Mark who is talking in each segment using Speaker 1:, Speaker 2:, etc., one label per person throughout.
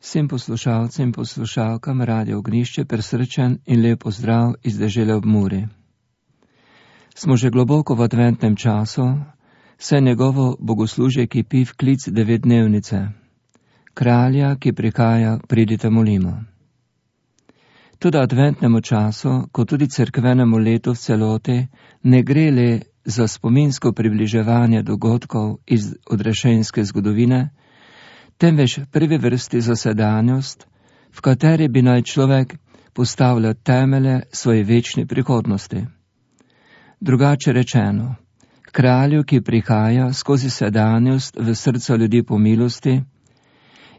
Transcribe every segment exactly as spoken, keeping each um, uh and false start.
Speaker 1: Vsem poslušalcem in poslušalkam Radio Ognišče prisrčen in lep pozdrav iz dežele ob Muri. Smo že globoko v adventnem času, saj njegovo bogoslužje kipi v klic devetdnevnice. Kralja, ki prihaja, pridite molimo. Tudi adventnemu času, kot tudi cerkvenemu letu v celoti, ne gre le za spominsko približevanje dogodkov iz odrešenske zgodovine, temveč v prvi vrsti za sedanjost, v kateri bi naj človek postavljal temelje svoje večne prihodnosti. Drugače rečeno, kralju, ki prihaja skozi sedanjost v srca ljudi po milosti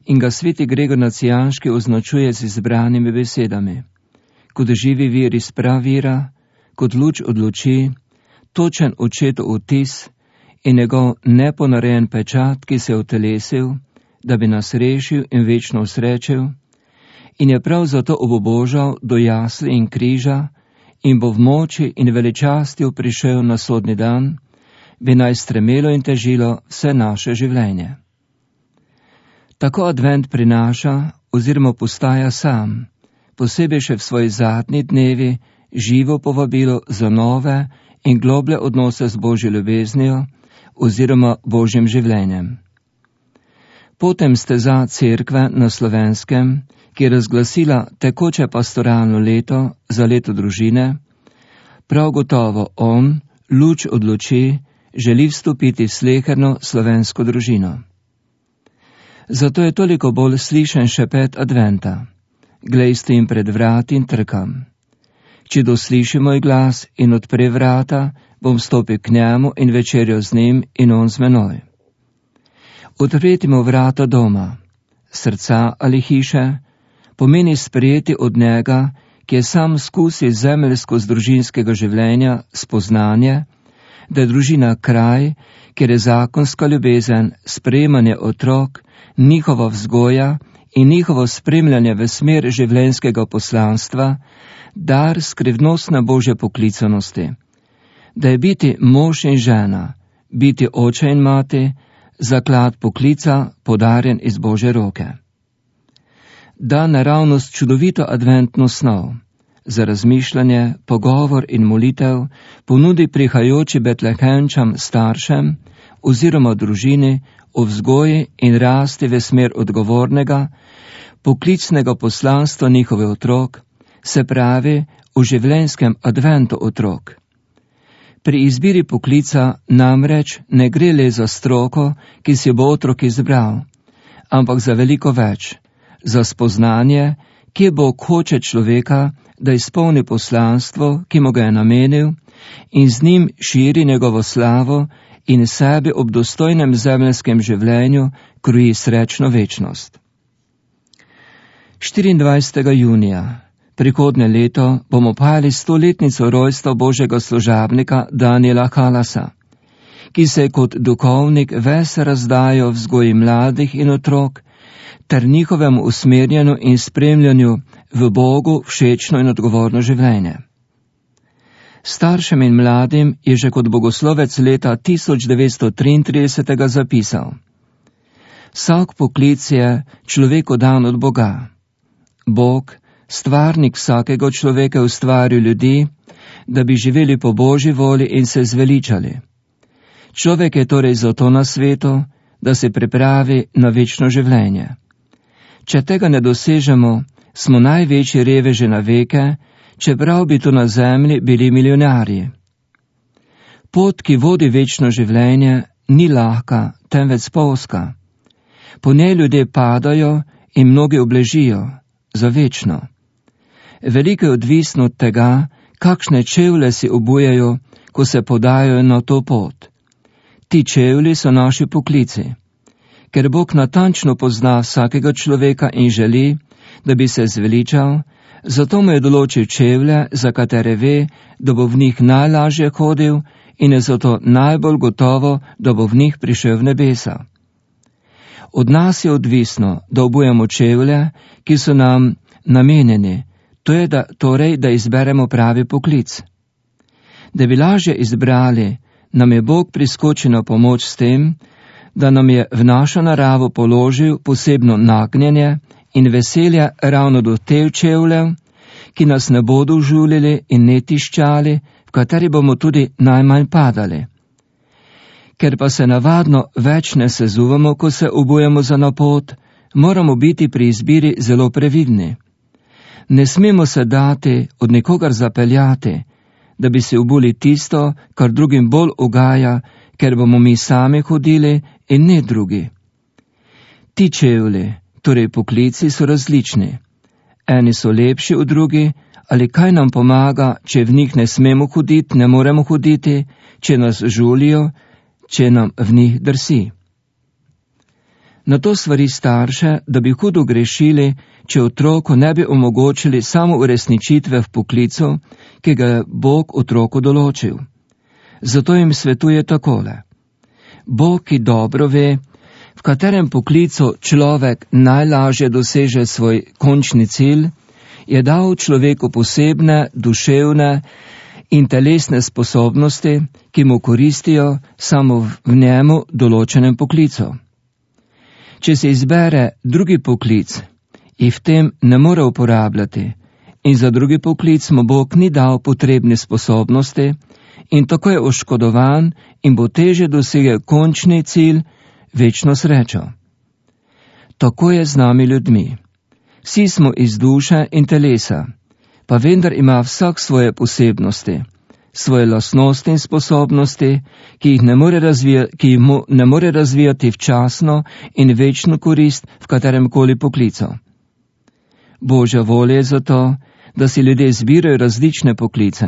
Speaker 1: in ga sveti Gregor Nacijanški označuje z izbranimi besedami, kot živi vir iz pravira, kot luč od luči, točen očetov vtis in njegov neponarejen pečat, ki se je utelesil, da bi nas rešil in večno usrečil, in je prav zato obobožal do jasli in križa in bo v moči in veličastju prišel na sodni dan, bi naj stremelo in težilo vse naše življenje. Tako advent prinaša oziroma postaja sam, posebej še v svoji zadnji dnevi, živo povabilo za nove in globlje odnose z Božjo ljubeznijo oziroma Božjim življenjem. Potem steza cerkve na Slovenskem, ki je razglasila tekoče pastoralno leto za leto družine, prav gotovo on, luč od luči, želi vstopiti v sleherno slovensko družino. Zato je toliko bolj slišen šepet adventa. Glej, stojim pred vrati in trkam. Če dosliši moj glas in odpre vrata, bom stopil k njemu in večerjo z njim in on z menoj. Odpreti mu vrata doma, srca ali hiše, pomeni sprejeti od njega, ki je sam skusil zemeljsko z družinskega življenja spoznanje, da je družina kraj, kjer je zakonska ljubezen, sprejemanje otrok, njihova vzgoja in njihovo spremljanje v smer življenjskega poslanstva, dar skrivnostne Božje poklicanosti, da je biti mož in žena, biti oče in mati, zaklad poklica, podarjen iz Božje roke. Da naravnost čudovito adventno snov, za razmišljanje, pogovor in molitev ponudi prihajajoči betlehemčam staršem oziroma družini o vzgoji in rasti v smer odgovornega, poklicnega poslanstva njihove otrok, se pravi v življenjskem adventu otrok. Pri izbiri poklica namreč ne gre le za stroko, ki si bo otrok izbral, ampak za veliko več, za spoznanje, kje bo hoče človeka, da izpolni poslanstvo, ki mu ga je namenil, in z njim širi njegovo slavo in sebi ob dostojnem zemljskem življenju kroji srečno večnost. štiriindvajsetega junija prihodnje leto bomo pali stoletnico rojstva Božjega služabnika Daniela Halasa, ki se je kot duhovnik ves razdajal vzgoji mladih in otrok ter njihovemu usmerjanju in spremljanju v Bogu všečno in odgovorno življenje. Staršem in mladim je že kot bogoslovec leta tisoč devetsto triintrideset zapisal: Vsak poklic je človeku dan od Boga. Bog, stvarnik vsakega človeka, je ustvaril ljudi, da bi živeli po Božji volji in se zveličali. Človek je torej zato na svetu, da se pripravi na večno življenje. Če tega ne dosežemo, smo največji reveži na veke, čeprav bi tu na zemlji bili milijonarji. Pot, ki vodi večno življenje, ni lahka, temveč spolzka. Po njej ljudje padajo in mnogi obležijo, za večno. Veliko je odvisno od tega, kakšne čevlje si obujajo, ko se podajo na to pot. Ti čevlji so naši poklici. Ker Bog natančno pozna vsakega človeka in želi, da bi se zveličal, zato mu je določil čevlje, za katere ve, da bo v njih najlažje hodil in je zato najbolj gotovo, da bo v njih prišel v nebesa. Od nas je odvisno, da obujemo čevlje, ki so nam namenjeni, to je da, torej, da izberemo pravi poklic. Da bi lažje izbrali, nam je Bog priskočil na pomoč s tem, da nam je v našo naravo položil posebno nagnjenje in veselja ravno do tev čevljev, ki nas ne bodo užulili in ne tiščali, v kateri bomo tudi najmanj padali. Ker pa se navadno več ne sezuvamo, ko se obujemo za na pot, moramo biti pri izbiri zelo previdni. Ne smemo se dati od nikogar zapeljati, da bi si obuli tisto, kar drugim bolj ugaja, ker bomo mi sami hodili in ne drugi. Ti čevlji, torej poklici, so različni. Eni so lepši od drugi, ali kaj nam pomaga, če v njih ne smemo hoditi, ne moremo hoditi, če nas žulijo, če nam v njih drsi. Na to svari starše, da bi hudo grešili, če otroku ne bi omogočili samo uresničitve v poklicu, ki ga je Bog otroku določil. Zato jim svetuje takole. Bog, ki dobro ve, v katerem poklicu človek najlažje doseže svoj končni cilj, je dal človeku posebne, duševne in telesne sposobnosti, ki mu koristijo samo v njemu določenem poklicu. Če se izbere drugi poklic, jih v tem ne more uporabljati in za drugi poklic mu Bog ni dal potrebne sposobnosti in tako je oškodovan in bo teže dosegel končni cilj, večno srečo. Tako je z nami ljudmi. Vsi smo iz duše in telesa, pa vendar ima vsak svoje posebnosti, svoje lastnosti in sposobnosti, ki jih ne more razvijati, ki jih mu ne more razvijati včasno in večno korist v katerem koli poklicu. Božja volja je zato, da si ljudje zbirajo različne poklice.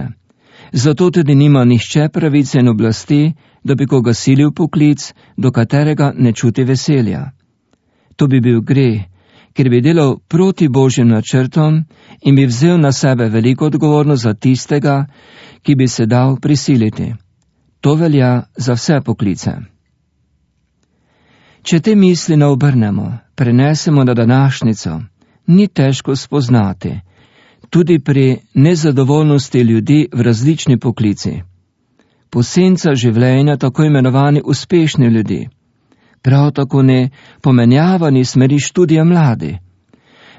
Speaker 1: Zato tudi nima nihče pravice in oblasti, da bi koga silil poklic, do katerega ne čuti veselja. To bi bil greh, ker bi delal proti Božjim načrtom in bi vzel na sebe veliko odgovornost za tistega, ki bi se dal prisiliti. To velja za vse poklice. Če te misli ne obrnemo, prenesemo na današnjico, ni težko spoznati, tudi pri nezadovoljnosti ljudi v različni poklici. Posenca življenja tako imenovani uspešni ljudi, prav tako ne pomenjavani smeri študija mladi,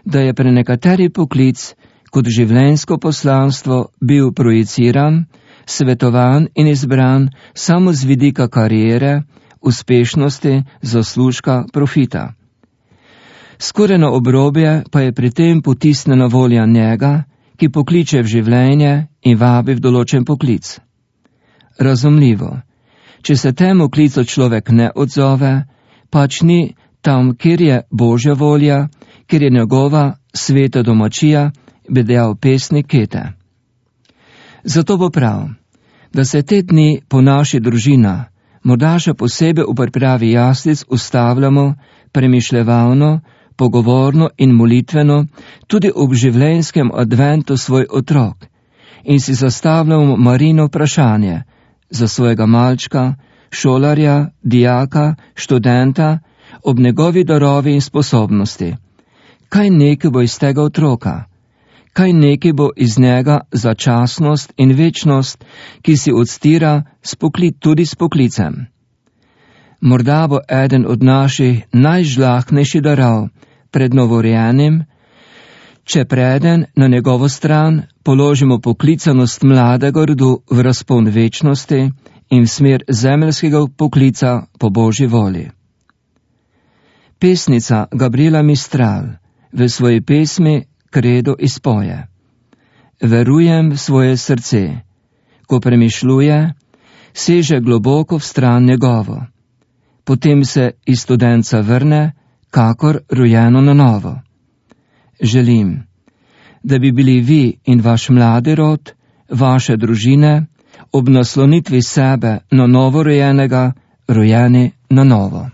Speaker 1: da je pre nekateri poklic kot življenjsko poslanstvo bil projiciran, svetovan in izbran samo z vidika kariere, uspešnosti, zaslužka, profita. Skoraj na obrobje pa je pri tem potisnjena volja njega, ki pokliče v življenje in vabi v določen poklic. Razumljivo, če se temu klicu človek ne odzove, pač ni tam, kjer je Božja volja, kjer je njegova sveta domačija, bi dejal pesnik Kete. Zato bo prav, da se te dni po naši družina, morda še posebej v pripravi jaslic ustavljamo premišljevalno, pogovorno in molitveno tudi ob življenjskem adventu svoj otrok in si zastavljamo Marino vprašanje za svojega malčka, šolarja, dijaka, študenta ob njegovi darovi in sposobnosti. Kaj nekaj bo iz tega otroka? Kaj nekaj bo iz njega za časnost in večnost, ki si odstira spokli, tudi s poklicem? Morda bo eden od naših najžlahtnejših darov pred novorojenim, če preden na njegovo stran položimo poklicanost mladega rodu v razpon večnosti in v smer zemeljskega poklica po Božji volji. Pesnica Gabriela Mistral v svoji pesmi Kredo izpoje: Verujem v svoje srce, ko premišljuje, seže globoko v stran njegovo. Potem se iz studenca vrne, kakor rojeno na novo. Želim, da bi bili vi in vaš mladi rod, vaše družine, ob naslonitvi sebe na novo rojenega, rojeni na novo.